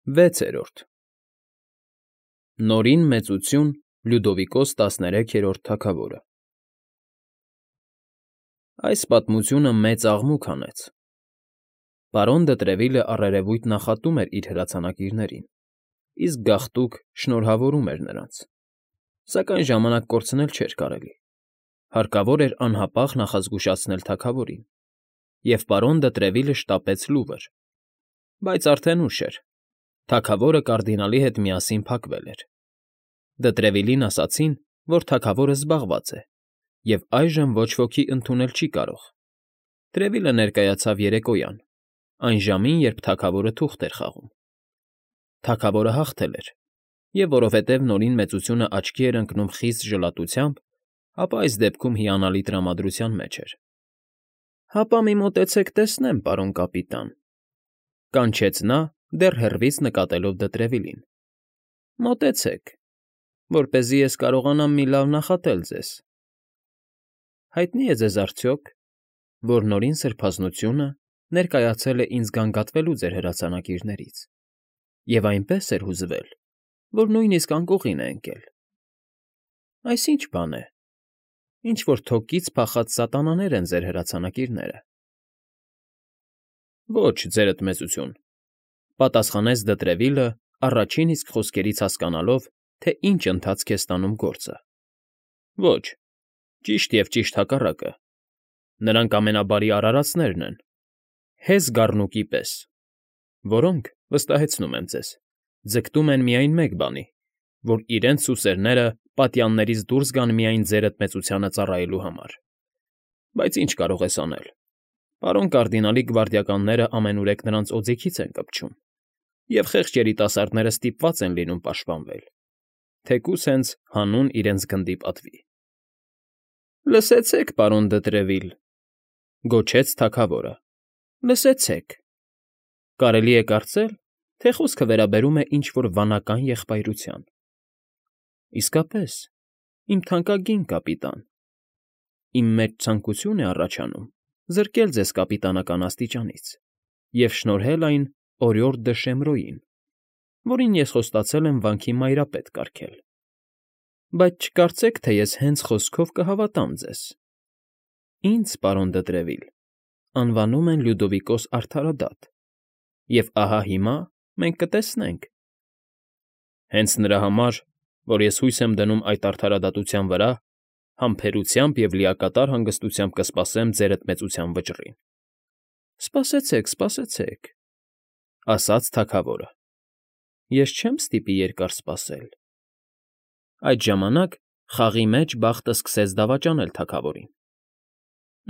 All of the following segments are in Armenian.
Վեցերորդ Նորին մեծություն Լյուդովիկոս 13-րդ թագավորը Այս պատմությունը մեծ աղմուկ հանեց։ Պարոն Դտրևիլը առերևույթ նախատում էր իր հրացանակիրներին, իսկ գաղտուկ շնորհավորում էր նրանց, սակայն ժամանակ կորցնել չէր կարելի։ Հարկավոր էր անհապաղ նախազգուշացնել թագավորին, և պարոն Դտրևիլը շտապեց Լուվր, բայց արդեն ուշ էր, թագավորը կարդինալի հետ միասին փակվել էր։ Դտրևիլին ասացին, որ թագավորը զբաղված է, և այժմ ոչ ոքի ընդունել չի կարող։ Տրևիլը ներկայացավ երեկոյան, այն ժամին, երբ թագավորը թուղթ էր խաղում։ Թագավորը հաղթել էր, և որովհետև Նորին մեծությունը աչքի էր ընկնում խիստ ժլատությամբ, ապա այս դեպքում հիանալի տրամադրության մեջ էր։ Հապա մի մոտեցեք տեսնեմ, պարոն կապիտան, կանչեց նա, դեռ հեռվից նկատելով Դտրևիլին։ Մոտեցեք, որպեսզի ես կարողանամ մի լավ նախատել ձեզ։ Հայտնի է ձեզ արդյոք, որ Նորին սրբազնությունը ներկայացել է ինձ գանգատվելու ձեր հրացանակիրներից, և այնպես էր հուզվել, որ նույնիսկ անկողին է ընկել։ Այս ի՞նչ բան է, ինչ֊որ թոկից փախած սատանաներ են ձեր հրացանակիրները։ Ոչ, ձերդ մեծություն, պատասխանեց Դտրևիլը, առաջին իսկ խոսքերից հասկանալով, թե ինչ ընթացք է ստանում գործը։ Ոչ, ճիշտ և ճիշտ հակառակը, նրանք ամենաբարի արարածներն են, հեզ գառնուկի պես, որոնք, վստահեցնում եմ ձեզ, ձգտում են միայն մեկ բանի, որ իրենց սուսերները պատյաններից դուրս գան միայն ձերդ մեծությանը ծառայելու համար։ Բայց ինչ կարող ես անել։ Պարոն կարդինալի գվարդիականները ամենուրեք նրանց օձիքից են կպչում, և խեղճ երիտասարդները ստիպված են լինում պաշտպանվել, թեկուզ հենց հանուն իրենց գնդի պատվի։ Լսեցեք, պարոն Դտրևիլ, գոչեց թագավորը, լսեցեք։ Կարելի է կարծել, թե խոսքը վերաբերում է ինչ֊որ վանական եղբայրության։ Իսկապես, իմ թանկագին կապիտան, իմ մեծ ցանկություն է առաջանում զրկել ձեզ կապիտանական աստիճանից և շնորհել այն Օրիորդ դը Շեմրոյին, որին ես խոստացել եմ վանքի մայրապետ կարգել։ Բայց չկարծեք, թե ես հենց խոսքով կհավատամ ձեզ։ Ինձ, պարոն Դտրևիլ, անվանում են Լյուդովիկոս արդարադատ, և ահա հիմա մենք կտեսնենք։ Հենց նրա համար, որ ես հույս եմ դնում այդ արդարադատության վրա, համբերությամբ և լիակատար հանգստությամբ կսպասեմ ձերդ մեծության վճռին։ Սպասեցեք, սպասեցեք, ասաց թագավորը։ Ես չեմ ստիպի երկար սպասել։ Այդ ժամանակ խաղի մեջ բախտը սկսեց դավաճանել թագավորին։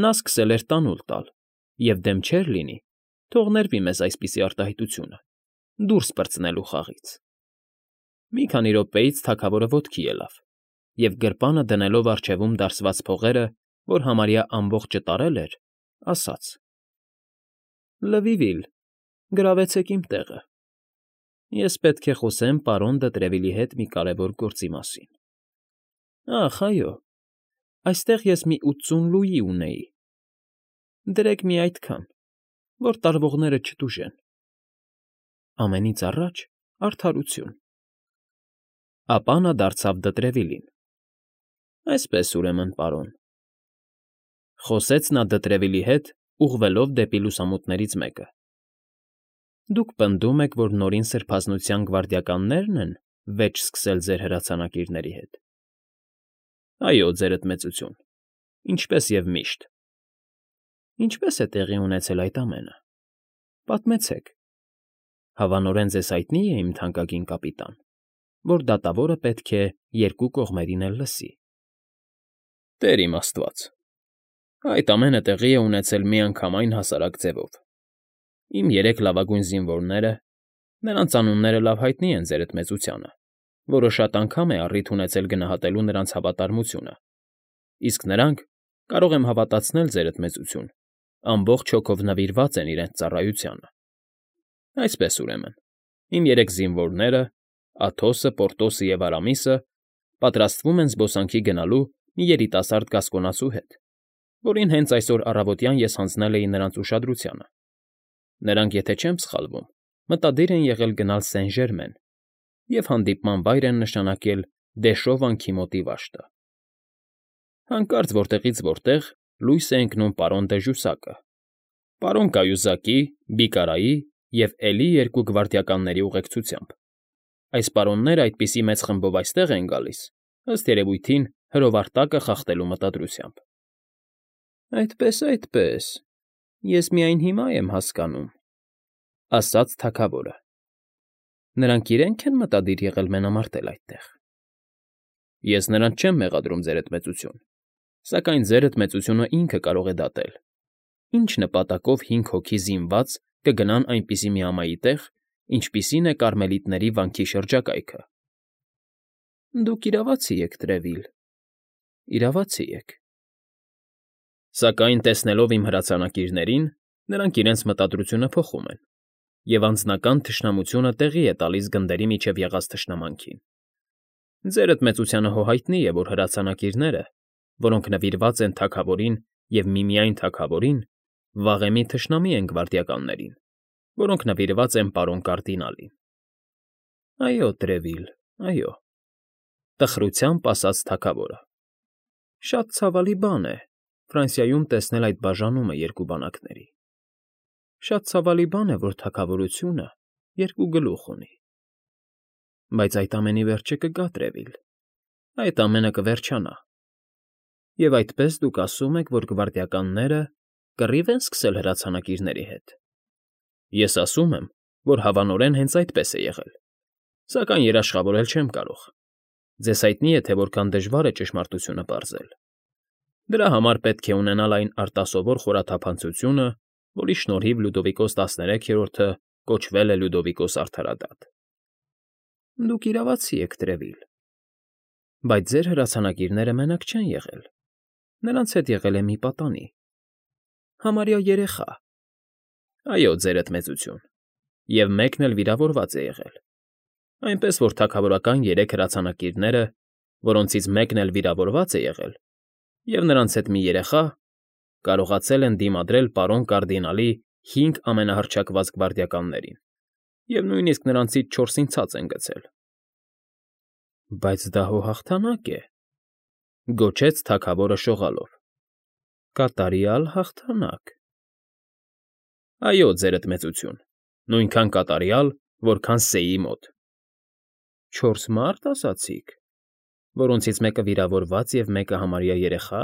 Նա սկսել էր տանուլ տալ և դեմ չէր լինի, թող ներվի մեզ այսպիսի արտահայտությունը, դուրս պրծնելու խաղից։ Մի քանի րոպեից թագավորը ոտքի ելավ և գրպանը դնելով առջևում դարսված փողերը, որ համարյա ամբողջը տարել էր, ասաց. Լվիվիլ, գրավեցեք իմ տեղը։ Ես պետք է խոսեմ պարոն Դտրևիլի հետ մի կարևոր գործի մասին։ Ախ, այո, այստեղ ես մի 80 լուի ունեի։ Դրեք մի այդքան, որ տարվողները չտուժեն։ Ամենից առաջ արդարություն։ Ապա նա դարձավ Դտրևիլին. Այսպես, ուրեմն, պարոն, խոսեց նա Դտրևիլի հետ, ուղղվելով դեպի լուսամուտներից մեկը։ Դուք պնդում եք, որ Նորին սրբազնության գվարդիականնե՞րն են վեճ սկսել ձեր հրացանակիրների հետ։ Այո, ձերդ մեծություն, ինչպես և միշտ։ Ինչպե՞ս է տեղի ունեցել այդ ամենը։ Պատմեցեք։ Հավանորեն ձեզ հայտնի է, իմ թանկագին կապիտան, որ դատավորը պետք է երկու կողմերին էլ լսի։ Տեր իմ աստված, այդ ամենը տեղի է ունեցել միանգամայն հասարակ ձևով։ Իմ երեք լավագույն զինվորները, նրանց անունները լավ հայտնի են ձերդ մեծությանը, որը շատ անգամ է առիթ ունեցել գնահատելու նրանց հավատարմությունը, իսկ նրանք, կարող եմ հավատացնել ձերդ մեծություն, ամբողջ հոգով նվիրված են իրենց ծառայությանը։ Այսպես, ուրեմն, իմ երեք զինվորները, Աթոսը, Պորտոսը և Արամիսը, պատրաստվում են զբոսանքի գնալու մի երիտասարդ գասկոնացու հետ, որին հենց այսօր առավոտյան ես հանձնել էի նրանց ուշադրությանը։ Նրանք, եթե չեմ սխալվում, մտադիր են եղել գնալ Սեն֊Ժերմեն և հանդիպման վայր են նշանակել Դեշո վանքի մոտի վաշտը։ Հանկարծ որտեղից որտեղ լույս է ընկնում պարոն դը Ժուսակը, պարոն կայուզակի, Բիկարայի և էլի երկու գվարդիականների ուղեկցությամբ։ Այս պարոնները այդպիսի մեծ խմբով այստեղ են գալիս, ըստ երևույթին, հրովարտակը խախտելու մտադրությամբ։ ֊ Այդպես, ես միայն հիմա եմ հասկանում,֊ ասաց թագավորը։ Նրանք իրենք են մտադիր եղել մենամարտել այդտեղ։ ֊ Ես նրանց չեմ մեղադրում, ձերդ մեծություն, սակայն ձերդ մեծությունը ինքը կարող է դատել, ինչ նպատակով 5 հոգի զինված կգնան այնպիսի մի ամայի տեղ, ինչպիսին է Կարմելիտների վանքի շրջակայքը։ ֊ Դուք իրավացի եք, Տրևիլ, իրավացի եք։ Սակայն, տեսնելով իմ հրացանակիրներին, նրանք իրենց մտադրությունը փոխում են, և անձնական թշնամությունը տեղի է տալիս գնդերի միջև եղած թշնամանքին։ Ձերդ մեծությանը հո հայտնի է, որ հրացանակիրները, որոնք նվիրված են թագավորին և միմիայն թագավորին, վաղեմի թշնամի են գվարդիականներին, որոնք նվիրված են պարոն կարդինալին։ ֊ Այո, Տրևիլ, այո,֊ տխրությամբ ասաց թագավորը։ Շատ ցավալի բան է Ֆրանսիայում տեսնել այդ բաժանումը երկու բանակների։ Շատ ցավալի բան է, որ թագավորությունը երկու գլուխ ունի։ Բայց այդ ամենի վերջը կգա, Տրևիլ, այդ ամենը կվերջանա։ Եվ այդպես դուք ասում եք, որ գվարդիականները կռիվ են սկսել հրացանակիրների հետ։ Ես ասում եմ, որ հավանորեն հենց այդպես է եղել, սակայն երաշխավորել չեմ կարող։ Ձեզ հայտնի է, թե որքան դժվար է ճշմարտությունը պարզել։ Դրա համար պետք է ունենալ այն արտասովոր խորաթափանցությունը, որի շնորհիվ Լյուդովիկոս 13-րդը կոչվել է Լյուդովիկոս Արդարադատ։ Դուք իրավացի եք, Տրևիլ, բայց ձեր հրացանակիրները մենակ չեն եղել։ Նրանց հետ եղել է մի պատանի, համարյա երեխա։ Այո, ձերդ մեծություն, և մեկն էլ վիրավորված է եղել, այնպես որ թագավորական 3 հրացանակիրները, որոնցից մեկն էլ վիրավորված է եղել, և նրանց հետ մի երեխա, կարողացել են դիմադրել պարոն կարդինալի 5 ամենահռչակված գվարդիականներին և նույնիսկ նրանցից 4-ին ցած են գցել։ ֊ Բայց դա հո հաղթանակ է,֊ գոչեց թագավորը շողալով։ Կատարյալ հաղթանակ։ ֊ Այո, ձերդ մեծություն, նույնքան կատարյալ, որքան Սեի մոտ։ ֊ 4 մարդ, ասացիք, որոնցից մեկը վիրավորված և մեկը համարյա երեխա։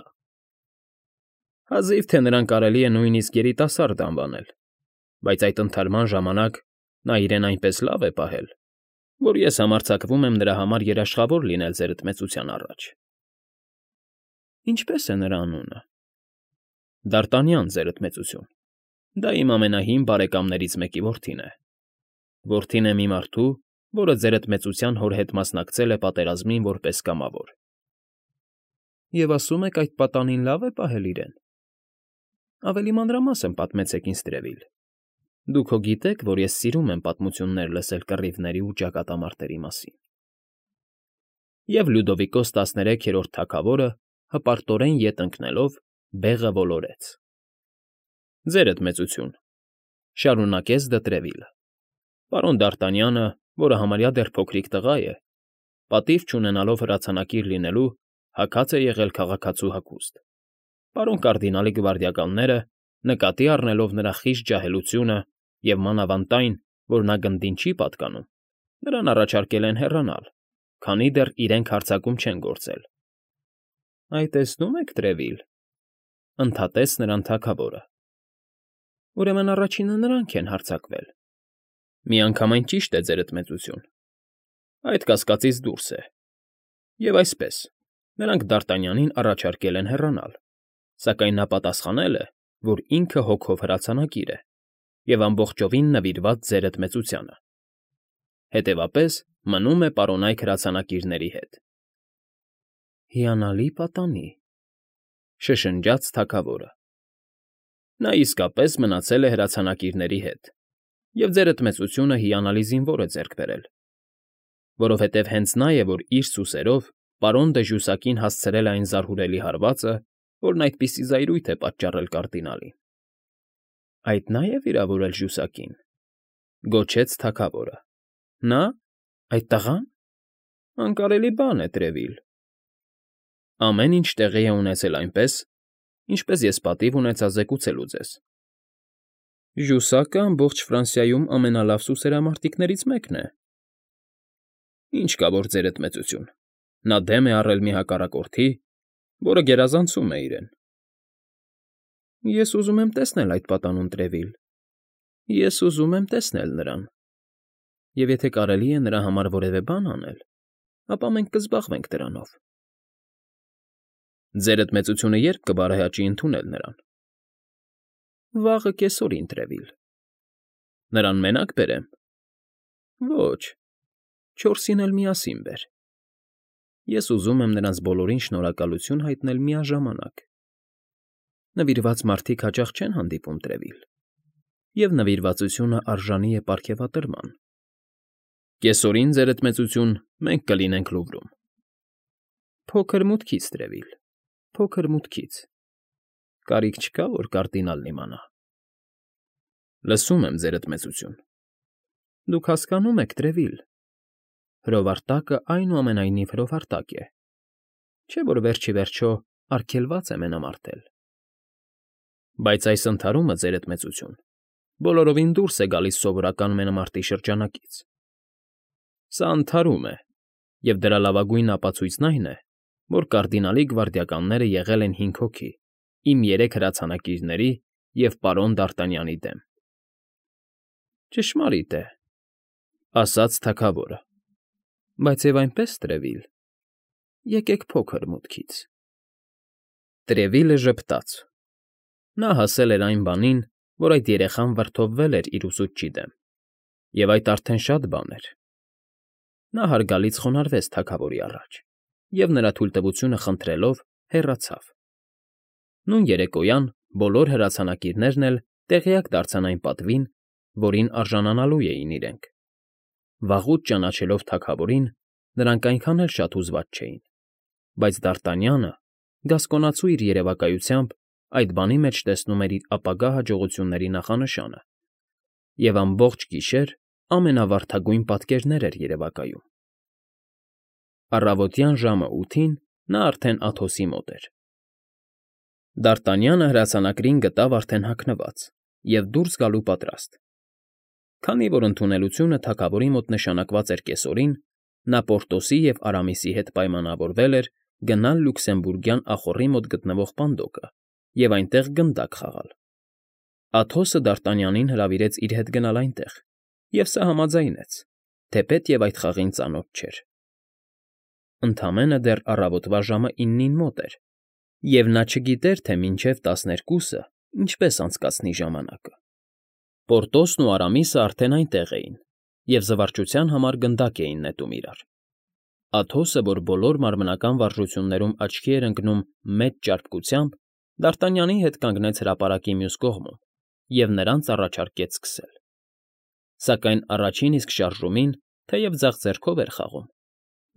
Հազիվ թե նրան կարելի է նույնիսկ երիտասարդ անվանել, բայց այդ ընթարման ժամանակ նա իրեն այնպես լավ է պահել, որ ես համարձակվում եմ նրա համար երաշխավոր լինել ձերդ մեծության առաջ։ ֊ Ինչպե՞ս է նրա անունը։ ֊ Դ'Արտանյան, ձերդ մեծություն, դա իմ ամենահին բարեկամներից մեկի որդին է։ Որդին է մի մարդու, որը ձերդ մեծության հոր հետ մասնակցել է պատերազմին որպես կամավոր։ ֊ Եվ ասում եք այդ պատանին լավ է պահել իրեն։ Ավելի մանրամասն պատմեցեք ինձ, Տրևիլ։ Դուք հո գիտեք, որ ես սիրում եմ պատմություններ լսել կռիվների ու ճակատամարտերի մասին։ Եվ Լյուդովիկոս 13-րդ թագավորը հպարտորեն ետ ընկնելով բեղը ոլորեց։ ֊ Ձերդ մեծություն,֊ շարունակեց դը Տրևիլը,֊ պարոն Դ'Արտանյանը, որը համարյա դեռ փոքրիկ տղա է, պատիվ չունենալով հրացանակիր լինելու, հագած է եղել քաղաքացու հագուստ։ Պարոն կարդինալի գվարդիականները, նկատի առնելով նրա խիստ ջահելությունը և մանավանդ այն, որ նա գնդին չի պատկանում, նրան առաջարկել են հեռանալ, քանի դեռ իրենք հարձակում չեն գործել։ ֊ Այ տեսնում եք, Տրևիլ,֊ ընդհատեց նրան թագավորը,֊ ուրեմն առաջինը նրանք են հարձակվել։ ֊ Միանգամայն ճիշտ է, ձերդ մեծություն, այդ կասկածից դուրս է։ Եվ այսպես, նրանք Դ'Արտանյանին առաջարկել են հեռանալ, սակայն նա պատասխանել է, որ ինքը հոգով հրացանակիր է և ամբողջովին նվիրված ձերդ մեծությանը։ Հետևապես մնում է պարոնայք հրացանակիրների հետ։ ֊ Հիանալի պատանի,֊ շշնջաց թագավորը։ Նա իսկապես մնացել է հրացանակիրների հետ, և ձերդ մեծությունը հիանալի զինվոր է ձեռք բերել, որովհետև հենց նա է, որ իր սուսերով պարոն դը Ժուսակին հասցրել է այն զարհուրելի հարվածը, որն այդպիսի զայրույթ է պատճառել կարդինալին։ ֊ Այդ նա է վիրավորել Ժուսակին։ Գոչեց թագավորը։ Նա՞, այդ տղա՞ն… Անկարելի բան է, Տրևիլ… Ամեն ինչ տեղի է ունեցել այնպես, ինչպես ես պատիվ ունեցա զեկուցելու ձեզ։ Ժուսակը ամբողջ Ֆրանսիայում ամենալավ սուսերամարտիկներից մեկն է։ Ինչ կա որ, ձերդ մեծություն, նա դեմ է առել մի հակառակորդի, որը գերազանցում է իրեն։ Ես ուզում եմ տեսնել այդ պատանուն, Տրևիլ, ես ուզում եմ տեսնել նրան, և եթե կարելի է նրա համար որևէ բան անել, ապա մենք կզբաղվենք դրանով։ Ձերդ մեծությունը ե՞րբ կբարեհաճի ընդունել նրան։ Վաղը կեսօրին, Տրևիլ։ Նրան մենակ բերեմ։ Ոչ, 4-ին էլ միասին բեր։ Ես ուզում եմ նրանց բոլորին շնորհակալություն հայտնել միաժամանակ։ Նվիրված մարդիկ հաճախ չեն հանդիպում, Տրևիլ, և նվիրվածությունը արժանի է պարգևատրման։ Կեսօրին, ձերդ մեծություն, մենք կլինենք Լուվրում։ Փոքր մուտքից, Տրևիլ, փոքր մուտքից։ Կարիք չկա, որ կարդինալն իմանա։ Լսում եմ, ձերդ մեծություն։ Դուք հասկանում եք, Տրևիլ, հրովարտակը այնուամենայնիվ հրովարտակ է, չէ՞ որ վերջ ի վերջո արգելված է մենամարտել։ Բայց այս ընդհարումը, ձերդ մեծություն, բոլորովին դուրս է գալիս սովորական մենամարտի շրջանակից։ Սա ընդհարում է, և դրա լավագույն ապացույցն այն է, որ կարդինալի գվարդիականները եղել են 5 հոգի, իմ 3 հրացանակիրների և պարոն Դ'Արտանյանի դեմ։ Ճշմարիտ է, ասաց թագավորը, բայց և այնպես, Տրևիլ, եկեք փոքր մուտքից։ Տրևիլը ժպտաց։ Նա հասել էր այն բանին, որ այդ երեխան վրդովվել էր իր ուսուցչի դեմ, և այդ արդեն շատ բան էր։ Նա հարգալից խոնարհվեց թագավորի առաջ և, նրա թույլտվությունը խնդրելով, հեռացավ։ Նույն երեկոյան բոլոր հրացանակիրներն էլ տեղյակ դարձան այն պատվին, որին արժանանալու էին իրենք։ Վաղուց ճանաչելով թագավորին, նրանք այնքան էլ շատ հուզված չէին, բայց Դ'Արտանյանը, գասկոնացու իր երևակայությամբ, այդ բանի մեջ տեսնում էր իր ապագա հաջողությունների նախանշանը և ամբողջ գիշեր ամենավարդագույն պատկերներ էր երևակայում։ Առավոտյան ժամը 8-ին նա արդեն Աթոսի մոտ էր։ Դ'Արտանյանը հրացանակրին գտավ արդեն հագնված և դուրս գալու պատրաստ։ Քանի որ ընդունելությունը թագավորի մոտ նշանակված էր կեսօրին, նա Պորտոսի և Արամիսի հետ պայմանավորվել էր գնալ Լյուքսեմբուրգյան ախոռի մոտ գտնվող պանդոկը և այնտեղ գնդակ խաղալ։ Աթոսը Դ'Արտանյանին հրավիրեց իր հետ գնալ այնտեղ, և սա համաձայնեց, թեպետև այդ խաղին ծանոթ չէր։ Ընդամենը դեռ առավոտվա ժամը 9-ին մոտ էր, և նա չգիտեր, թե մինչև 12-ը ինչպես անցկացնի ժամանակը։ Պորտոսն ու Արամիսը արդեն այնտեղ էին և զվարճության համար գնդակ էին նետում իրար։ Աթոսը, որ բոլոր մարմնական վարժություններում աչքի էր ընկնում մեծ ճարպկությամբ, Դ'Արտանյանի հետ կանգնեց հրապարակի մյուս կողմում և նրանց առաջարկեց սկսել։ Սակայն առաջին իսկ շարժումին, թեև ձախ ձեռքով էր խաղում,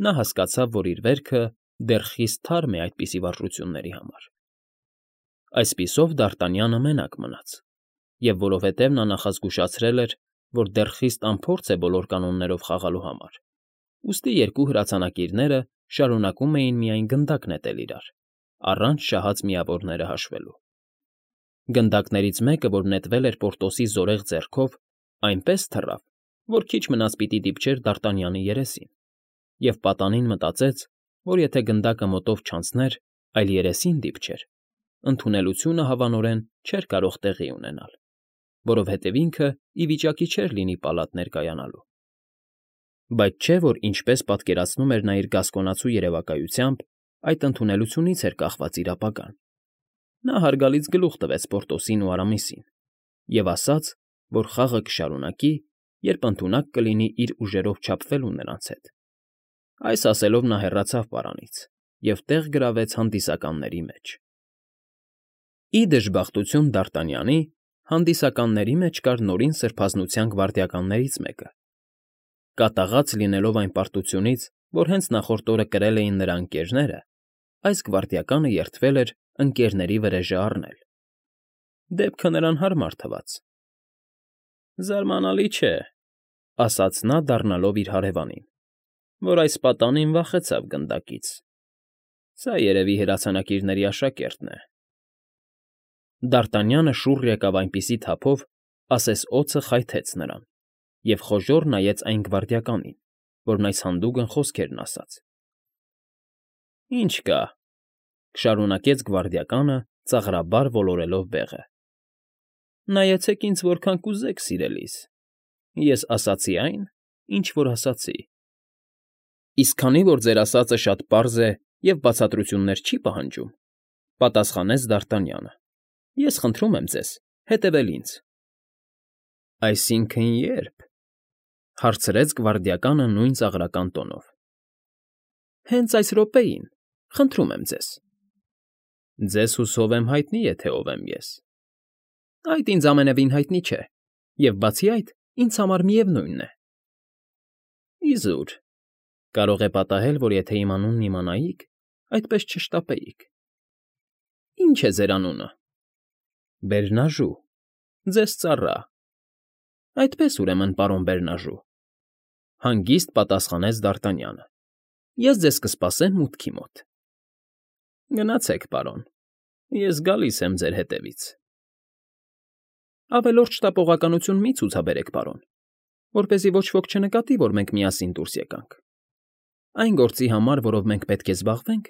նա հասկացավ, որ իր վերքը դեռ խիստ թարմ է այդպիսի վարժությունների համար։ Այսպիսով Դ'Արտանյանը մենակ մնաց, և որովհետև նա նախազգուշացրել էր, որ դեռ խիստ անփորձ է բոլոր կանոններով խաղալու համար, ուստի երկու հրացանակիրները շարունակում էին միայն գնդակ նետել իրար, առանց շահած միավորները հաշվելու։ Գնդակներից մեկը, որ նետվել էր Պորտոսի զորեղ ձեռքով, այնպես թռավ, որ քիչ մնաց պիտի դիպչեր Դ'Արտանյանի երեսին, և պատանին մտածեց, որ եթե գնդակը մոտով չանցներ, այլ երեսին դիպչեր, ընդունելությունը հավանորեն չէր կարող տեղի ունենալ, որովհետև ինքը ի վիճակի չէր լինի պալատ ներկայանալու։ Բայց չէ՞ որ ինչպես պատկերացնում էր նա իր գասկոնացու երևակայությամբ, այդ ընդունելությունից էր կախված իր ապագան։ Նա հարգալից գլուխ տվեց Պորտոսին ու Արամիսին և ասաց, որ խաղը կշարունակի, երբ ընդունակ կլինի իր ուժերով չափվելու նրանց հետ։ Այս ասելով նա հեռացավ պարանից և տեղ գրավեց հանդիսականների մեջ։ Ի դժբախտություն Դ'Արտանյանի, հանդիսականների մեջ կար Նորին Սրբազնության գվարդիականներից մեկը։ Կատաղած լինելով այն պարտությունից, որ հենց նախորդ օրը կրել էին նրա ընկերները, այս գվարդիականը երդվել էր ընկերների վրեժը առնել։ Դեպքը նրան հարմար թվաց։ Զարմանալի չէ, ասաց նա, դառնալով իր հարևանին, որ այս պատանին վախեցավ գնդակից։ Սա երևի հրացանակիրների աշակերտն է։ Դարտանյանը շուռ եկավ այնպիսի թափով, ասես օձը խայթեց նրան, և խոժոռ նայեց այն գվարդիականին, որն այս հանդուգն խոսքերն ասաց։ ֊ Ինչ կա,֊ շարունակեց գվարդիականը, ծաղրաբար ոլորելով բեղը։ ֊ Նայեցեք ինձ որքան կուզեք, սիրելիս, ես ասացի այն, ինչ որ ասացի։ ֊ Իսկ քանի որ ձեր ասածը շատ պարզ է և բացատրություններ չի պահանջում,֊ պատասխանեց Դարտանյանը,֊ ես խնդրում եմ ձեզ հետևել ինձ։ ֊ Այսինքն ե՞րբ,֊ հարցրեց գվարդիականը նույն ծաղրական տոնով։ ֊ Հենց այս րոպեին, խնդրում եմ ձեզ։ ֊ Ձեզ հուսով եմ հայտնի է, թե ով եմ ես։ ֊ Այդ ինձ ամենևին հայտնի չէ, և բացի այդ, ինձ համար միևնույն է։ ֊ Իզուր, կարող է պատահել, որ եթե իմ անունն իմանայիք, այդպես չշտապեիք։ ֊ Ի՞նչ է ձեր անունը։ ֊ Բերնաժու, ձեզ ծառա։ ֊ Այդպես, ուրեմն, պարոն Բերնաժու,֊ հանգիստ պատասխանեց Դարտանյանը,֊ ես ձեզ կսպասեմ մուտքի մոտ։ ֊ Գնացեք, պարոն, ես գալիս եմ ձեր հետևից։ ֊ Ավելորդ շտապողականություն մի՛ ցուցաբերեք, պարոն, որպեսզի ոչ ոք չնկատի, որ մենք միասին դուրս եկանք։ Այն գործի համար, որով մենք պետք է զբաղվենք,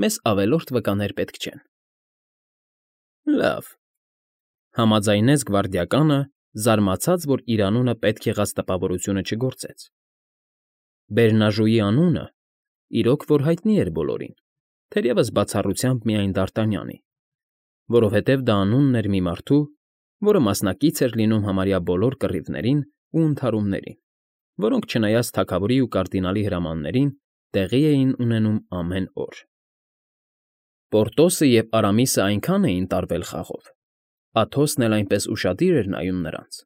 մեզ ավելորդ վկաներ պետք չեն։ ֊ Լավ,֊ համաձայնեց գվարդիականը, զարմացած, որ իր անունը պետք եղած տպավորությունը չգործեց։ Բերնաժուի անունը իրոք որ հայտնի էր բոլորին, թերևս բացառությամբ միայն Դարտանյանի, որովհետև դա անունն էր մի մարդու, որը մասնակից էր լինում համարյա բոլոր կռիվներին ու ընդհարումներին, որոնք, չնայած թագավորի ու կարդինալի հրամաններին, տեղի էին ունենում ամեն օր։ Պորտոսը և Արամիսը այնքան էին տարվել խաղով, Աթոսն էլ այնպես ուշադիր էր նայում նրանց,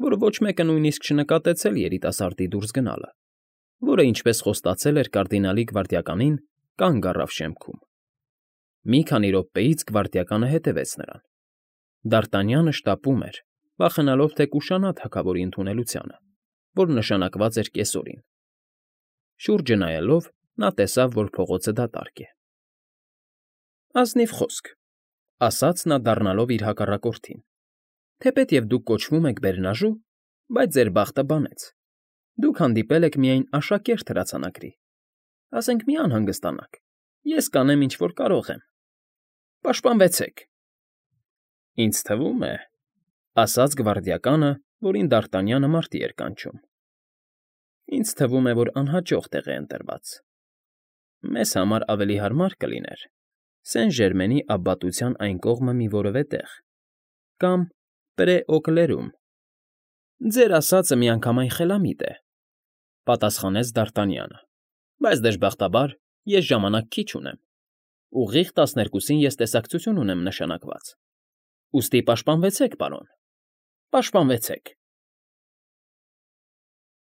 որ ոչ մեկը նույնիսկ չնկատեց երիտասարդի դուրս գնալը, որը, ինչպես խոստացել էր կարդինալի գվարդիականին, կանգ առավ շեմքում։ Մի քանի րոպեից գվարդիականը հետևեց նրան։ Դարտանյանը շտապում էր, վախենալով, թե կուշանա թագավորի ընդունելությանը, որ նշանակված էր կեսօրին։ Շուրջը նայելով՝ նա տեսավ, որ փողոցը դատարկ է։ ֊ Ազնիվ խոսք,֊ ասաց նա, դառնալով իր հակառակորդին,֊ թեպետև դուք կոչվում եք Բերնաժու, բայց ձեր բախտը բանեց. դուք հանդիպել եք միայն աշակերտ հրացանակրի։ Ասենք մի անհանգստանաք, ես կանեմ, ինչ որ կարող եմ։ Պաշտպանվեցեք։ ֊ Ինձ թվում է,֊ ասաց գվարդիականը, որին Դարտանյանը մարտի էր կանչում,֊ ինձ թվում է, որ անհաջող տեղ է ընտրված։ Մեզ համար ավելի հարմար կլիներ Սեն֊Ժերմենի աբբատության այն կողմը մի որևէ տեղ, կամ Պրե֊Օկլերում։ ֊ Ձեր ասածը միանգամայն խելամիտ է,֊ պատասխանեց Դարտանյանը,֊ բայց, դժբախտաբար, ես ժամանակ քիչ ունեմ։ Ուղիղ 12-ին ես տեսակցություն ունեմ նշանակված։ Ուստի պաշտպանվեցեք, պարոն, պաշտպանվեցեք։